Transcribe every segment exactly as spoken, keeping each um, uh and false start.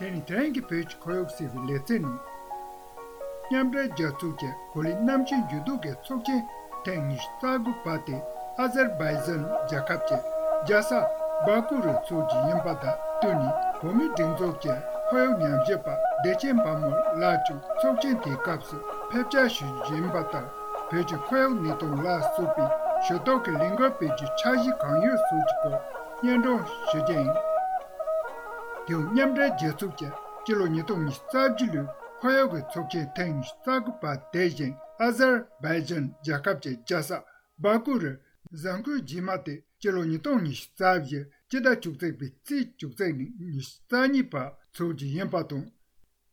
དེ་ནི་དེ་རིང་གི་བོད་ཀྱི་ཁོར་ཡུག་ཟེར་བའི་ལེ་ཚན་ནང་། མཉམ་འབྲེལ་རྒྱལ་ཚོགས་ཀྱི་གོ་ལའི་གནམ་གཤིས་འགྱུར་ལྡོག་གི་ཚོགས་ཆེན་ཐེངས་ཉི་ཤུ་རྩ་དགུ་པ་དེ་ཨ་ཟར་བྷའི་ཛན་རྒྱལ་ཁབ་ཀྱི་རྒྱལ་ས་སྦ་ཀུ་རུ་འཚོགས་རྒྱུ་ཡིན་པ་དང་བསྟུན་ནས། བོད་མིའི་སྒྲིག་འཛུགས་ཀྱི་ཁོར་ཡུག་ཉམས་ཞིབ་པ་བདེ་ཆེན་བལ་མོ་ལགས་ཀྱང་ཚོགས་ཆེན་དེའི་སྐབས་སུ་ཕེབས་བཅར་ཞུ་རྒྱུ་ཡིན་པ་ལྟར། བོད་ཀྱི་ཁོར་ཡུག་གནས་སྟངས་ལ་སོགས་པའི་ཞུ་གཏུག་གི་ལས་འགུལ་སྤེལ་རྒྱུའི་འཆར་གཞི་གང་ཡོད་སོགས་ཀྱི་སྐོར་སྙན་སྒྲོན་ཞུ་རྒྱུ་ཡིན། དེའང་མཉམ་འབྲེལ་རྒྱལ་ཚོགས་ཀྱི་སྤྱི་ལོ་ཉིས་སྟོང་ཉི་ཤུ་རྩ་བཞི་ལོའི་ཁོར་ཡུག་གི་ཚོགས་ཆེན་ཐེངས་ཉི་ཤུ་རྩ་དགུ་པ་དེ་བཞིན་ཨ་ཟར་བྷའི་ཛན་རྒྱལ་ཁབ་ཀྱི་རྒྱལ་ས་སྦ་ཀུ་རུ་གཟའ་འཁོར་རྗེས་མ་དེ་སྤྱི་ལོ་ཉིས་སྟོང་ཉི་ཤུ་རྩ་བཞི་སྤྱི་ཟླ་བཅུ་གཅིག་པའི་ཚེས་བཅུ་གཅིག་ནས་ཉི་ཤུ་རྩ་གཉིས་བར་འཚོགས་རྒྱུ་ཡིན་པ་དང་།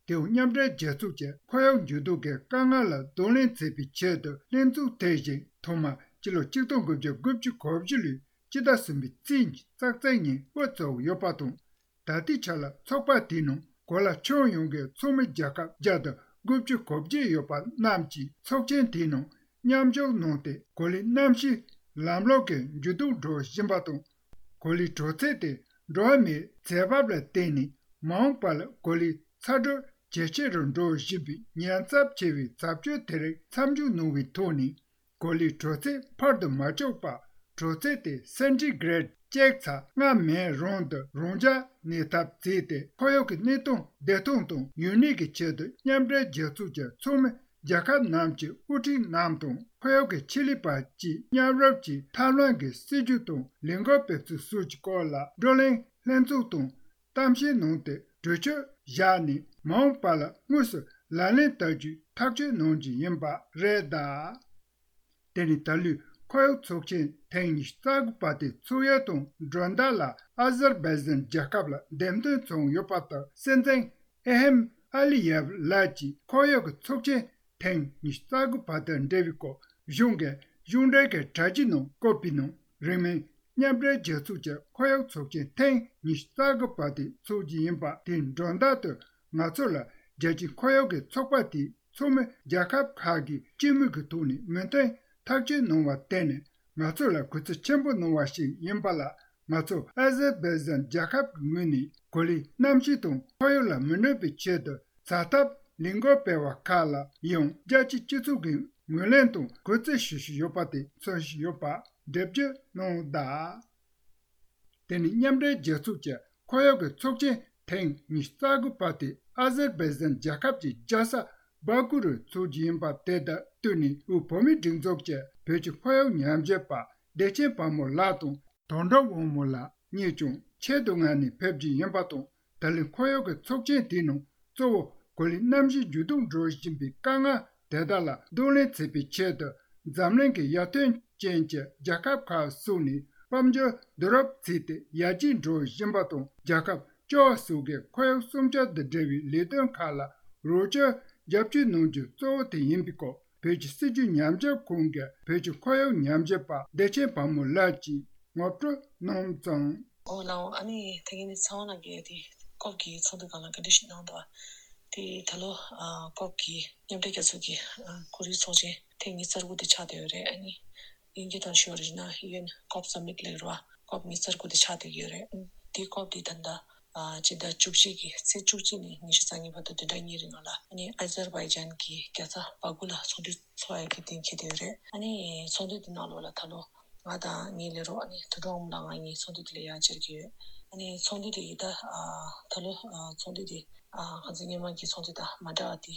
དེའང་མཉམ་འབྲེལ་རྒྱལ་ཚོགས་ཀྱི་ཁོར་ཡུག་འགྱུར་ལྡོག་གི་དཀའ་ངལ་ལ་གདོང་ལེན་བྱེད་པའི་ཆེད་དུ་ལྷན་ཚོགས་དེ་བཞིན་ཐོག་མར་སྤྱི་ལོ་ཆིག་སྟོང་དགུ་བརྒྱ་དགུ་བཅུ་གོ་བཞི་ལོའི་སྤྱི་ཟླ་གསུམ་པའི་ཚེས་ཉི་ཤུ་རྩ་གཅིག་ཉིན་དབུ་བཙུགས་ཡོད་པ་དང་། ད་ལྟའི་ཆ་ལ་ཚོགས་པ་དེའི་ནང་གོ་ལ་ཁྱོན་ཡོངས་ཀྱི་ཚོགས་མི་རྒྱལ་ཁབ་བརྒྱ་དང་དགུ་བཅུ་གོ་བརྒྱད་ཡོད་པ་རྣམས་ཀྱིས་ཚོགས་ཆེན་དེའི་ནང་མཉམ་ཞུགས་གནང་སྟེ། གོ་ལའི་གནམ་གཤིས་ལམ་ལུགས་ཀྱི་འགྱུར་ལྡོག་འགྲོ་བཞིན་པ་དང་། གོ་ལའི་དྲོད་ཚད་དེ་འགྲོ་བ་མིའི་ཚེ་འབབ་ལ་བརྟེན་ནས་མ་འོངས་པ་ལ་གོ་ལའི་ཚ་དྲོད་ཇེ་ཆེ་རུ་འགྲོ་བཞིན་པའི་ཉེན་ཚབས་ཆེ་བའི་ཚབས་ཆེན་དེ་རིགས་མཚམས་འཇོག་གནང་བའི་ཐོག་ནས། གོ་ལའི་དྲོད་ཚད་འཕར་དུ་མ་བཅུག་པར་དྲོད་ཚད་དེ་སེན་ཊི་གྷི་རེཌ་གཅིག་ཚེག་ལྔ་མན་རུང་དུ་རང་འཇགས་གནས་ཐབས་བྱས་ཏེ། ཁོར་ཡུག་གི་གནས་སྟངས་བདེ་ཐང་དང་ཡུན་གནས་ཀྱི་ཆེད་དུ་མཉམ་འབྲེལ་རྒྱལ་ཚོགས་ཀྱི་ཚོགས་མི་རྒྱལ་ཁབ་རྣམས་ཀྱི་དབུ་ཁྲིད་རྣམས་དང་ཁོར་ཡུག་གི་ཆེད་ལས་པ་བཅས་མཉམ་རུབ་ཀྱིས་ཐབས་ལམ་གྱི་སྲིད་ཇུས་དང་ལས་འགུལ་སྤེལ་ཚུལ་སོགས་ཀྱི་སྐོར་ལ་བགྲོ་གླེང་ལྷན་ཚོགས་དང་གཏམ་བཤད་གནང་སྟེ། གྲོས་ཆོད་བཞག་ནས་མ་འོངས་པ་ལ་དངོས་སུ་ལག་ལེན་བསྟར་རྒྱུའི་ཐག་གཅོད་གནང་རྒྱུ་ཡིན་པ་རེད་གདའ། དེ་ནི་ད་ལོའི་ཁོར་ཡུག་ཚོགས་ཆེན་ཐེངས་ཉི་ཤུ་རྩ་དགུ་པ་དེ་ཚོགས་ཡུལ་དང་སྒྲོན་བརྡ་ལ་ཨ་ཟར་བྷའི་ཛན་རྒྱལ་ཁབ་ལ་འདེམས་ཐོན་བྱུང་ཡོད་པ་ལྟར། སྲིད་འཛིན་ཨི་ཧེམ་ཨ་ལི་ཡེབ་ལགས་ཀྱིས་ཁོར་ཡུག་གི་ཚོགས་ཆེན་ཐེངས་ཉི་ཤུ་རྩ་དགུ་པ་དང་འབྲེལ་བའི་སྐོར་གཞུང་གི་གཞུང་འབྲེལ་གྱི་དྲ་རྒྱའི་ནང་བཀོད་པའི་ནང་། རིང་མིན་མཉམ་འབྲེལ་རྒྱལ་ཚོགས་ཀྱི་ཁོར་ཡུག་ཚོགས་ཆེན་ཐེངས་ཉི་ཤུ་རྩ་དགུ་པ་དེ་འཚོགས་རྒྱུ་ཡིན་པ་དེའི་སྒྲོན་བརྡ་དུ། ང་ཚོ་ལ་རྒྱལ་སྤྱིའི་ཁོར་ཡུག་གི་ཚོགས་པ་དེའི་ཚོགས་མི་རྒྱལ་ཁབ་ཁག་གིས་སྤྱི་མོས་ཀྱི་ཐོག་ནས་མོས་མཐུན་ཐག་གཅོད་གནང་བར་བརྟེན་ནས། ང་ཚོ་ལ་གུས་བརྩི་ཆེན་པོ་གནང་བ་ཞིག་ཡིན་པ་ལ། ང་ཚོ་ཨ་ཟར་བྷའི་ཛན་རྒྱལ་ཁབ་ཀྱི་ངོས་ནས་གོ་ལའི་གནམ་གཤིས་དང་ཁོར་ཡུག་ལ་མི་གནོད་པའི་ཆེད་དུ་བྱ་ཐབས་ལས་འགུལ་སྤེལ་བ་ཁག་ལ་ཡང་རྒྱལ་སྤྱིའི་སྤྱི་ཚོགས་ཀྱི་ངོས་ལེན་དང་གུས་བརྩི་ཞུ་བཞིན་ཡོད་པ་དེ་མཚོན་བཞིན་ཡོད་པ་འགྲེལ་བརྗོད་གནང་གདའ། དེ་ནི་མཉམ་འབྲེལ་རྒྱལ་ཚོགས་ཀྱི་ཁོར་ཡུག་གི་ཚོགས་ཆེན་ཐེངས་ཉི་ཤུ་རྩ་དགུ་པ་དེ་ཨ་ཟར་བྷའི་ཛན་རྒྱལ་ཁབ་ཀྱི་རྒྱལ་ས་སྦ་ཀུ་རུ་འཚོགས་རྒྱུ་ཡིན་པ་དེ་དང་བསྟུན་ནས། དབུས་བོད་མིའི་སྒྲིག་འཛུགས་ཀྱི་བོད་ཀྱི་ཁོར་ཡུག་ཉམས་ཞིབ་པ་བདེ་ཆེན་བལ་མོ་ལགས་དང་། དོན་གྲུབ་དབང་མོ་ལགས་གཉིས་ཀྱང་ཆེད་དུ་མངགས་ནས་ཕེབས་རྒྱུ་ཡིན་པ་དང་། ད་ལོའི་ཁོར་ཡུག་གི་ཚོགས་ཆེན་དེའི་ནང་གཙོ་བོ་གོ་ལའི་གནམ་གཤིས་འགྱུར་ལྡོག་འགྲོ་བཞིན་པའི་དཀའ་ངལ་དེ་དག་ལ་གདོང་ལེན་བྱེད་པའི་ཆེད་དུ། འཛམ་གླིང་གི་ཡར་ཐོན་ཅན་གྱི་རྒྱལ་ཁབ་ཁག་སོགས་ནས་དཔལ་འབྱོར་བསྡུ་རུབ་བྱས་ཏེ་ཡར་རྒྱས་འགྲོ་བཞིན་པ་དང་། རྒྱལ་ཁབ་བཅུ་བ་སོགས་ཀྱི་ཁོར་ཡུག་སྲུང་སྐྱོབ་དང་འབྲེལ་བའི་ལས་དོན་ཁག་ལ་རོགས་སྐྱོར་རྒྱབ་སྐྱོར་གནང་རྒྱུ་གཙོ་བོ་དེ་ཡིན་པའི་སྐོར། བོད་ཀྱི་སྲིད་བྱུས་ཉམས་ཞིབ་ཁང་གི་བོད་ཀྱི་ཁོར་ཡུག་ཉམས་ཞིབ་པ་བདེ་ཆེན་བལ་མོ་ལགས་ཀྱིས་ངོ་སྤྲོད་གནང་ཙང་། ཨོ་ལགས། ཨ་ནི་ད་གིན་ནི་ཚང་མ་ལ་གི་དེ་ཀོབ་ཀྱི་ཚོགས་འདུ་སྒང་ལ་བཀའ་འདྲི་ཞིག་གནང་འདུག་དེ་ད་ལོ་ཨ་ཀོབ་ཀྱི་མཉམ་འབྲེལ་རྒྱལ་ཚོགས་ཀྱི་ཨ་ཁོར་ཡུག་ཚོགས་ཆེན་ཐེངས་ཉི་ཤུ་རྩ་དགུ་དེ་ཆགས་བསྡད་ཡོད་རེད། ཨ་ནི་དབྱིན་སྐད་ཐོག་ཞུ་བ་རེད་ན་ཡུ་ཨེན་ཀོབ་སམ་མིཊ་ལབ་རེད་བ། ཀོབ་ཉི་ཤུ་རྩ་དགུ་དེ་ཆགས་བསྡད་ཀྱི་ཡོད་རེད། ཨ་དེ་ཀོབ་དེ་ད་ལྟ་ཨ་སྤྱི་ཟླ་བཅུ་གཅིག་གི་ཚེས་བཅུ་གཅིག་ནས་ཉི་ཤུ་རྩ་གཉིས་བར་དུ་བདུན་ཕྲག་གཉིས་རིང་ལ་ཨ་ནི་ཨ་ཛར་བྷའི་ཇན་གྱི་རྒྱལ་ས་བྷ་ཀུ་ལ་ཚོགས་འདུ་འཚོགས་ཡག་གི་གཏན་འཁེལ་བསྡད་ཡོད་རེད། ཨ་ནི་ཚོགས་འདུ་དེ་ནང་ལོགས་ལ་ད་ལོ་ང་དང་ངའི་ལས་རོགས་ཨ་ནི་དོན་གྲུབ་དབང་མོ་ལགས་ང་གཉིས་ཚོགས་འདུ་དེ་ལ་ཡར་བཅར་གྱི་ཡོད། ཨ་ནི་ཚོགས་འདུ་དེ་ཡི་ད་ཨ་ད་ལོ་ཨ་ཚོགས་འདུ་དེ་ཨ་ཁ་སང་སྔོན་མ་གི་ཚོགས་འདུ་དང་མ་འདྲ་བ་དེ།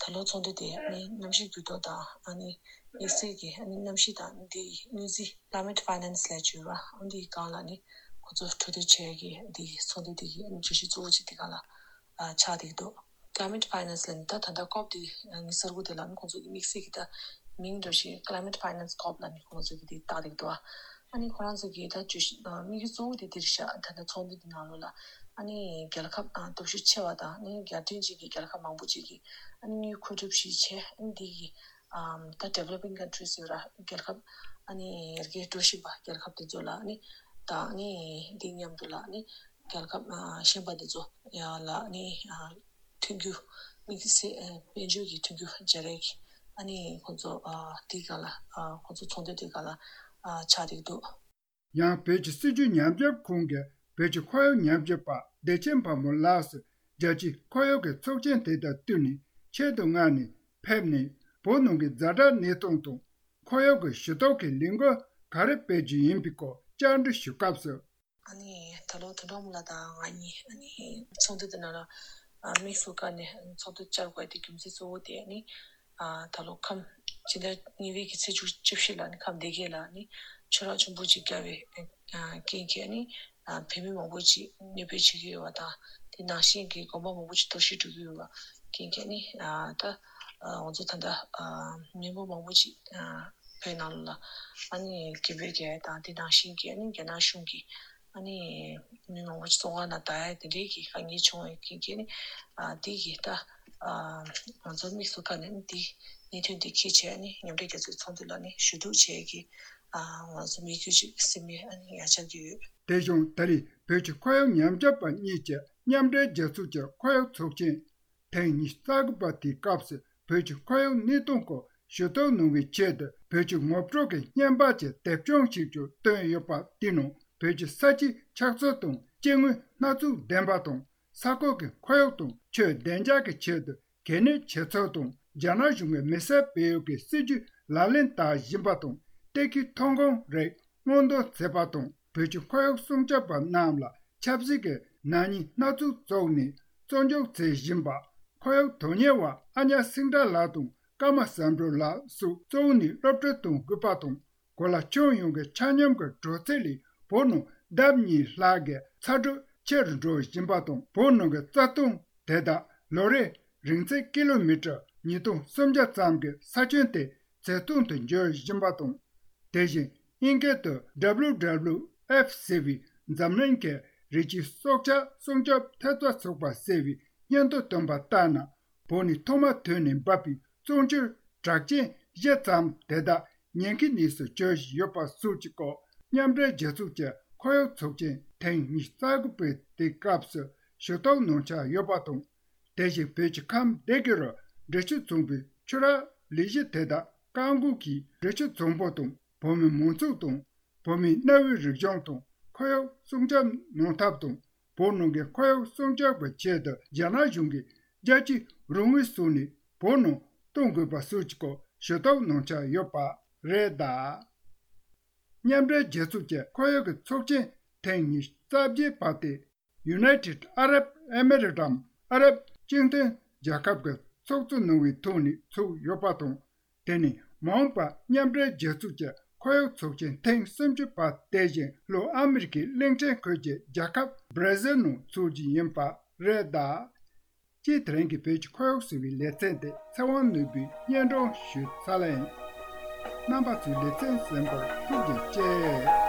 ད་ལོ་ཚོགས་འདུ་དེ་ཨ་ནི་གནམ་གཤིས་འགྱུར་ལྡོག་དང་ཨ་ནི་དམིགས་བསལ་གྱི་ཨ་ནི་གནམ་གཤིས་དང་འདི་ཡི་གནོད་འཚེ། Climate Finance ལབ་ཀྱི་ཡོད་ར། ཨ་འདི་སྒང་ལ་ནི་ཁོ་ཚོ་གྲོས་བསྡུར་བྱེད་ཡག་གི་འདི་ཚོགས་འདུ་དེ་གི་ཨ་ནི་བརྗོད་གཞི་གཙོ་བོ་གཅིག་དེ་སྒང་ལ་ཨ་ཆགས་བསྡད་ཀྱི་འདུག Climate Finance ལབ་ནི་ད་ད་ལྟ་ཀོབ་དེ་ཉི་ཤུ་རྩ་དགུ་དེ་ལ་ནི་ཁོང་ཚོ་གི་དམིགས་བསལ་གྱི་ད་མིང་འདྲ་ཞིག་Climate Finance ཀོབ་ལབ་ནི་ཁོང་ཚོ་གི་དེ་བཏགས་བསྡད་ཀྱི་འདུག་ཨ་ནི་ཁོ་རང་ཚོ་གི་ད་བརྗོད་གཞི་དམིགས་ཡུལ་གཙོ་བོ་དེ་འདིར་བཞག་ད་ལྟ་ཚོགས་འདུ་དེ་ནང་ལོགས་ལ་ཨ་ནི་རྒྱལ་ཁབ་སྟོབས་ཤུགས་ཆེ་བ་དང་ཨ་ནི་རྒྱལ་ཕྲན་ཅིག་གི་རྒྱལ་ཁབ་མང་པོ་ཅིག་གིས་ཨ་ནི་དངུལ་མཁོ་སྒྲུབ་ཞིག་བྱས། ཨ་ནི་འདི་གི་ཨམ་ད་Developing Countries ཡོད་ར། རྒྱལ་ཁབ་ཨ་ནི་ཡར་རྒྱས་འགྲོ་བཞིན་པ་རྒྱལ་ཁབ་དེ་ཚོ་ལ་ཨ་ནི་ད་ཨ་ནི་འདི་མཉམ་དུ་ལ་ཨ་ནི་རྒྱལ་ཁབ་ཨ་གཞན་པ་དེ་ཚོ་ཡང་ལ་ཨ་ནི་ཨ་མཐུན་འགྱུར་དམིགས་བསལ་ཨ་དཔལ་འབྱོར་གྱི་མཐུན་འགྱུར་སྦྱར་ཡས་ཀྱི་ཨ་ནི་ཁོང་ཚོ་ཨ་དེ་ག་ལ་ཨ་ཁོང་ཚོ་ཚོགས་འདུ་དེ་ག་ལ་ཨ་ཆགས་བསྡད་འདུག་ཡང་བོད་ཀྱི་སྲིད་བྱུས་ཉམས་ཞིབ་ཁང་གི་བོད་ཀྱི་ཁོར་ཡུག་ཉམས་ཞིབ་པ་བདེ་ཆེན་བལ་མོ་ལགས་སུ་ རྒྱལ་སྤྱིའི་ཁོར་ཡུག་གི་ཚོགས་ཆེན་དེ་དང་བསྟུན་ནས་ཆེད་དུ་མངགས་ནས་ཕེབས་ནས་བོད་ནང་གི་ཛ་དྲག་གནས་སྟངས་དང་ཁོར་ཡུག་གི་ཞུ་གཏུག་གི་ལས་འགུལ་ག་རེ་སྤེལ་རྒྱུ་ཡིན་པའི་སྐོར་བཅར་འདྲི་ཞུ་སྐབས་སུ། ཨ་ནི་ད་ལོ་དོན་གྲུབ་ལགས་དང་ང་གཉིས་ཨ་ནི་ཚོགས་འདུ་དེ་ནང་ལ་དམིགས་སུ་བཀར་ནས་ཚོགས་འདུ་བཅར་དགོས་དེ་རྒྱུ་མཚན་གཙོ་བོ་དེ་ཨ་ནི་ད་ལོ་ཁམས་ཕྱི་ཟླ་གཉིས་པའི་གི་ཚེས་བཅུ་བཅུ་བཞི་ལ་ནི་ཁམས་སྡེ་དགེ་ལ་ནི་ཆུ་རགས་ཆེན་པོ་ཅིག་བརྒྱབ་པའི་རྐྱེན་གྱིས་ནི་བོད་མི་མང་པོ་ཅིག་གནོད་པ་བྱེད་ཀྱི་ཡོད་པ་དང་དེ་ནང་བཞིན་གྱི་དགོན་པ་མང་པོ་ཅིག་གཏོར་བཤིག་འགྲོ་གི་ཡོད་པ་རྐྱེན་གྱིས་ནི་ད་ང་ཚོ་ད་ལྟ་མི་མང་པོ་མང་པོ་ཅིག་བོད་ནང་ལ་ཨ་ནི་གིན་བོད་རྒྱ་དང་དེ་ནང་བཞིན་གྱི་ཨ་ནི་རྒྱ་ནག་གཞུང་གིས་ཨ་ནི་མི་མང་པོ་ཅིག་བཙོན་ཁང་ནང་བསྡད་ཡ་དེ་འདྲའི་གི་དཀའ་ངལ་བྱུང་བའི་རྐྱེན་གྱིས་ནི་ཨ་དེ་གི་ད་ཨ་ང་ཚོ་དམིགས་སུ་བཀར་ནས་ནི་དེ་གནད་དོན་དེ་འཁྱེར་བྱས་ཨ་ནི་མཉམ་འབྲེལ་རྒྱལ་ཚོགས་ཚོགས་འདུ་ལ་ནི་ཞུ་གཏུག་བྱས་ཀྱི་ཨ་ང་ཚོ་མི་རྒྱུད་ཅིག་སེམས་མེད་ཨ་ནི་ཡ་ཆགས་ཀྱི་ཡོད། དེ་བཞིན་ད་རེས་བོད་ཀྱི་ཁོར་ཡུག་ཉམས་ཞིབ་པ་གཉིས་ཀྱིས་མཉམ་འབྲེལ་རྒྱལ་ཚོགས་ཀྱི་ཁོར་ཡུག་ཚོགས་ཆེན་ཐེངས་ཉི་ཤུ་རྩ་དགུ་པ་དེའི་སྐབས་སུ་བོད་ཀྱི་ཁོར་ཡུག་གནས་སྟངས་སྐོར་ཞུ་གཏུག་གནང་བའི་ཆེད་དུ་བོད་ཀྱི་ངོ་སྤྲོད་ཀྱི་བརྙན་པར་གྱི་དེབ་ཆུང་ཞིག་ཀྱང་བཏོན་ཡོད་པ་དེའི་ནང་བོད་ཀྱི་ས་ཆའི་ཆགས་ཚུལ་དང་སྐྱེ་དངོས་སྣ་ཚོགས་ལྡན་པ་དང་ས་ཁུལ་གྱི་ཁོར་ཡུག་དང་ཆོས་བདེ་འཇགས་ཀྱི་ཆེད་དུ་གལ་གནད་ཆེ་ཚུལ་དང་རྒྱ་ནག་གཞུང་གིས་མི་སེར་སྤེལ་ཡུལ་གྱི་སྲིད་ཇུས་ལག་ལེན་བསྟར་བཞིན་པ་དང་གཏེར་ཁའི་ཐོན་ཁུངས་རིགས་སྔོག་འདོན་བྱས་པ་དང་བོད་ཀྱི་ཁོར་ཡུག་སྲུང་སྐྱོབ་པ་རྣམས་ལ་ཆབ་སྲིད་ཀྱི་ནག་ཉེས་སྣ་ཚོགས་བཙུགས་ནས་བཙོན་འཇུག་བྱེད་བཞིན་པ། ཁོར་ཡུག་དོན་གཉེར་བ་ཨ་ཉག་སེང་བྲག་ལགས་དང་ཀརྨ་བསམ་གྲུབ་ལགས་སོགས་བཙོན་ནས་སློབ་ཁྲིད་གཏོང་དགོས་པ་དང་གོ་ལ་ཁྱོན་ཡོངས་ཀྱི་ཆ་སྙོམས་ཀྱི་དྲག་རྩལ་ལས་བོད་ནང་ལྡབ་གཉིས་ལྷག་གི་ཚ་དྲོད་ཆེ་རུ་འགྲོ་བཞིན་པ་དང་བོད་ནང་གི་རྩྭ་ཐང་དེ་དག་ལོ་རེར་རིང་ཚད་ཀི་ལོ་མི་ཊར་ཉིས་སྟོང་སུམ་བརྒྱ་ཙམ་གྱི་ས་ཁྱོན་དེ་བྱེ་ཐང་དུ་འགྱུར་བཞིན་པ་དང་། དེ་བཞིན་དབྱིན་སྐད་དུ་W W F ཟེར་བའི་འཛམ་གླིང་གི་རི་སྐྱེས་སྲོག་ཆགས་སྲུང་སྐྱོབ་ཐེབས་རྩ་ཚོགས་པ་ཟེར་བའི་སྙན་ཐོ་བཏོན་པ་ལྟར་ན། བོད་ནས་ཐོག་མ་ཐོན་ནས་འབབ་པའི་བཙོན་ཆུའི་གྲགས་ཅན་བཞི་ཙམ་དེ་དག་ཉེན་ཁའི་གནས་སུ་གྱུར་བཞིན་ཡོད་པ་སོགས་ཀྱི་སྐོར་མཉམ་འབྲེལ་རྒྱལ་ཚོགས་ཀྱི་ཁོར་ཡུག་ཚོགས་ཆེན་ཐེངས་ཉི་ཤུ་རྩ་དགུ་པའི་དེ་སྐབས་སུ་ཞུ་གཏུག་གནང་འཆར་ཡོད་པ་དང་། དེ་བཞིན་བོད་ཀྱི་ཁམས་སྡེ་དགེ་རུ་འབྲི་ཆུ་མཚུངས་པའི་ཆུ་རགས་ལས་གཞི་དེ་དག་བཀག་འགོག་གིས་འབྲི་ཆུ་མཚོ་འབོར་དང་བོད་མིའི་མང་ཚོགས་དང་བོད་མིའི་གནའ་བོའི་རིག་གཞུང་དང་ཁོར་ཡུག་སྲུང་སྐྱོབ་གནང་ཐབས་དང་བོད་ནང་གི་ཁོར་ཡུག་སྲུང་སྐྱོབ་ཀྱི་ཆེད་དུ་རྒྱ་ནག་གཞུང་གིས་རྒྱལ་སྤྱིའི་རོགས་དངུལ་བཟོས་ནས་བོད་ནང་གཏོང་དགོས་པ་སོགས་ཀྱི་སྐོར་ཞུ་གཏུག་གནང་འཆར་ཡོད་པ་རེད་གདའ། མཉམ་འབྲེལ་རྒྱལ་ཚོགས་ཀྱི་ཁོར་ཡུག་གི་ཚོགས་ཆེན་ཐེངས་ཉི་ཤུ་རྩ་བརྒྱད་པ་དེ། United Arab Emirates འམ་ཨ་རབ་སྤྱི་མཐུན་རྒྱལ་ཁབ་ཀྱིས་ཚོགས་གཙོ་གནང་བའི་ཐོག་ནས་ཚུགས་ཡོད་པ་དང་། དེ་ནི་མ་འོངས་པར་མཉམ་འབྲེལ་རྒྱལ་ཚོགས་ཀྱི་ཁོར་ཡུག་ཚོགས་ཆེན་ཐེངས་སུམ་ཅུ་པ་དེ་བཞིན་ལྷོ་ཨ་མི་རི་ཀའི་གླིང་ཕྲན་ཁུལ་གྱི་རྒྱལ་ཁབ་བྷར་ཟིལ་ནང་ཚུགས་རྒྱུ་ཡིན་པ་རེད་གདའ། སྤྱིར་དེ་རིང་གི་བོད་ཀྱི་ཁོར་ཡུག་ཟེར་བའི་ལེ་ཚན་དེ་ཚེ་དབང་ནོར་བུས་སྙན་སྒྲོན་ཞུས་ཚར་ལ་ཡིན། རྣམ་པ་ཚོས་ལེ་ཚན་གསན་པར་ཐུགས་རྗེ་ཆེ།